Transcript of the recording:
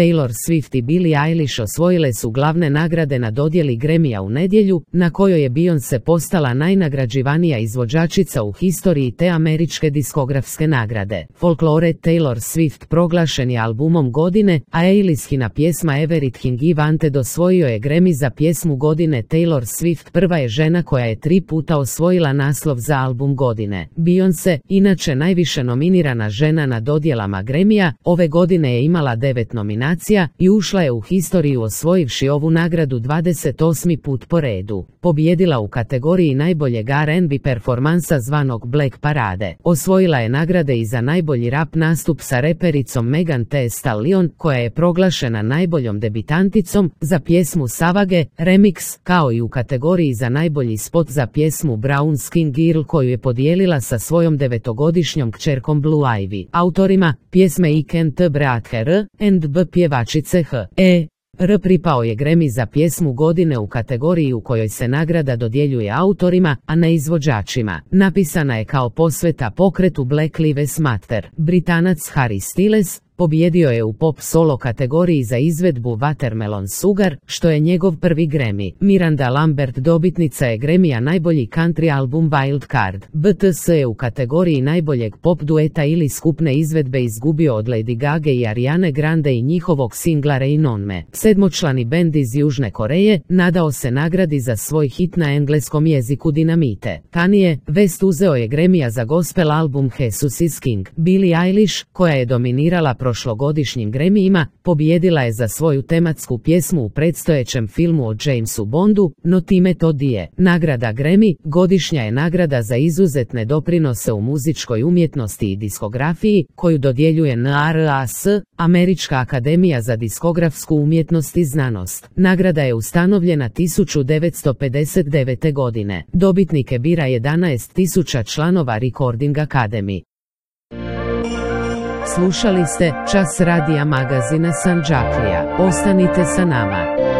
Taylor Swift i Billie Eilish osvojile su glavne nagrade na dodjeli Grammyja u nedjelju, na kojoj je Beyoncé postala najnagrađivanija izvođačica u historiji te američke diskografske nagrade. Folklore Taylor Swift proglašen je albumom godine, a Eilishina pjesma Everything I Wanted osvojio je Grammy za pjesmu godine. Taylor Swift prva je žena koja je 3 puta osvojila naslov za album godine. Beyoncé, inače najviše nominirana žena na dodjelama Grammyja, ove godine je imala 9 nominacija i ušla je u historiju osvojivši ovu nagradu 28. put po redu. Pobijedila u kategoriji najboljeg R&B performansa zvanog Black Parade. Osvojila je nagrade i za najbolji rap nastup sa repericom Megan Thee Stallion, koja je proglašena najboljom debitanticom, za pjesmu Savage, Remix, kao i u kategoriji za najbolji spot za pjesmu Brown Skin Girl koju je podijelila sa svojom 9-godišnjom kćerkom Blue Ivy. Autorima pjesme I Can't Breathe Her and B pjevačice H.E.R. pripao je Grammy za pjesmu godine u kategoriji u kojoj se nagrada dodjeljuje autorima, a ne izvođačima. Napisana je kao posveta pokretu Black Lives Matter. Britanac Harry Styles pobijedio je u pop solo kategoriji za izvedbu Watermelon Sugar, što je njegov prvi Grammy. Miranda Lambert dobitnica je Grammyja najbolji country album Wild Card. BTS je u kategoriji najboljeg pop dueta ili skupne izvedbe izgubio od Lady Gaga i Ariane Grande i njihovog singla Rain on Me. Sedmočlani bend iz Južne Koreje nadao se nagradi za svoj hit na engleskom jeziku Dinamite. Kanye West uzeo je Grammyja za gospel album Jesus is King. Billie Eilish, koja je dominirala prošlogodišnjim Grammyjima, pobijedila je za svoju tematsku pjesmu u predstojećem filmu o Jamesu Bondu, no time to nije. Nagrada Grammy godišnja je nagrada za izuzetne doprinose u muzičkoj umjetnosti i diskografiji, koju dodjeljuje NRAS, Američka akademija za diskografsku umjetnost i znanost. Nagrada je ustanovljena 1959. godine. Dobitnike bira 11.000 članova Recording Academy. Slušali ste Čas radija magazina Sandžaklija. Ostanite sa nama.